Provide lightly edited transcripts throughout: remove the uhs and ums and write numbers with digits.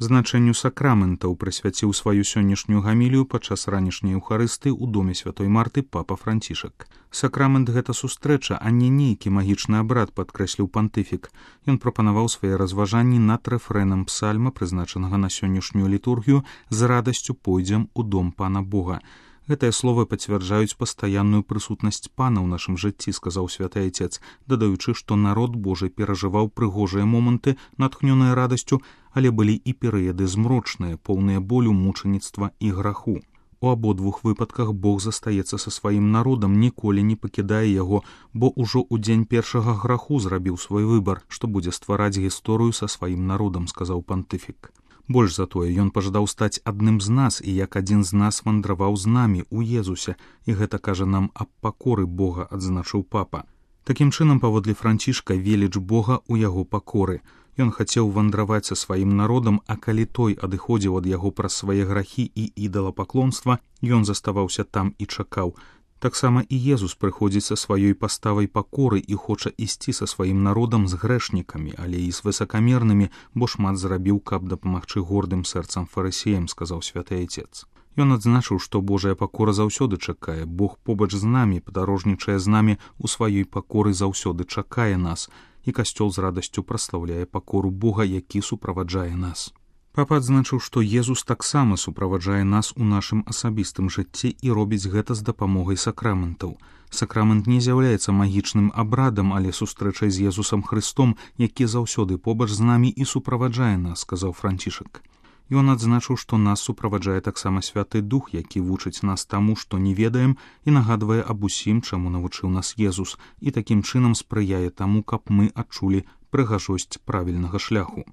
Значэнню сакраментаў прысвяціў сваю сённяшнюю гамілію падчас ранішняй еўхарысты ў доме святой Марты папа Францішак. Сакрамент — гэта сустрэча, а не нейкі магічны абрад, падкрэсліў пантыфік. Ён прапанаваў свае разважанні над рэфрэнам псальма, прызначанага на сённяшнюю літургію «З радасцю пойдзем у дом Пана Бога». Гэтыя словы пацвярджаюць пастаянную прысутнасць Пана ў нашым жыцці, сказаў святы Айцец, дадаючы, што народ Божы перажываў прыгожыя моманты, натхнёныя радасцю, але былі і перыяды змрочныя, поўныя болю, мучаніцтва і граху. У абодвух выпадках Бог застаецца са сваім народам, ніколі не пакідае яго, бо ўжо ў дзень першага граху зрабіў свой выбар, што будзе ствараць гісторыю са сваім народам, сказаў пантыфік. Больш за тое, ён пажадаў стаць адным з нас, і як адзін з нас вандраваў з намі ў Езусе, і гэта кажа нам аб пакоры Бога, адзначыў папа. Такім чынам, паводле Францішка, веліч Бога ў яго пакоры. Ён хацеў вандраваць са сваім народам, а калі той адыходзіў ад яго праз свае грахі і ідалапаклонства, ён заставаўся там і чакаў. Таксама і Езус прыходзіць са сваёй паставай пакоры і хоча ісці са сваім народам з грэшнікамі, але і з высакамернымі, бо шмат зрабіў, каб дапамагчы гордым сэрцам фарысеям, сказаў святы Айцец. Ён адзначыў, што Божая пакора заўсёды чакае, Бог побач з намі, падарожнічае з намі у сваёй пакоры, заўсёды чакае нас, і касцёл з радасцю праслаўляе пакору Бога, які суправаджае нас. Папа адзначыў, што Езус таксама суправаджае нас у нашым асабістым жыцці і робіць гэта з дапамогай сакраментаў. Сакрамент не з'яўляецца магічным абрадам, але сустрэчай з Езусам Хрыстом, які заўсёды побач з намі і суправаджае нас, сказаў Францішак. Ён адзначыў, што нас суправаджае таксама Святы Дух, які вучыць нас таму, што не ведаем, і нагадвае аб усім, чаму навучыў нас Езус, і такім чынам спрыяе таму, каб мы адчулі прыгажосць правільнага шляху.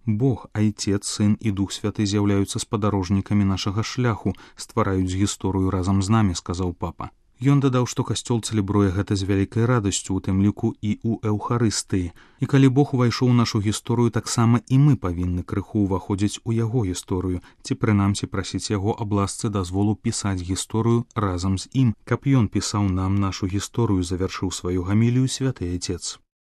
Бог, Айцец, Сын і Дух Святы з'яўляюцца спадарожнікамі нашага шляху, ствараюць гісторыю разам з намі, сказаў папа. Ён дадаў, што касцёл цэлебруе гэта з вялікай радасцю, у тым ліку і ў эўхарыстыі. І калі Бог увайшоў у нашу гісторыю, таксама і мы павінны крыху ўваходзіць у яго гісторыю, ці прынамсі прасіць яго аб ласцы дазволу пісаць гісторыю разам з ім, каб ён пісаў нам нашу гісторыю, завяршыў сваю гамілію святы Айцец.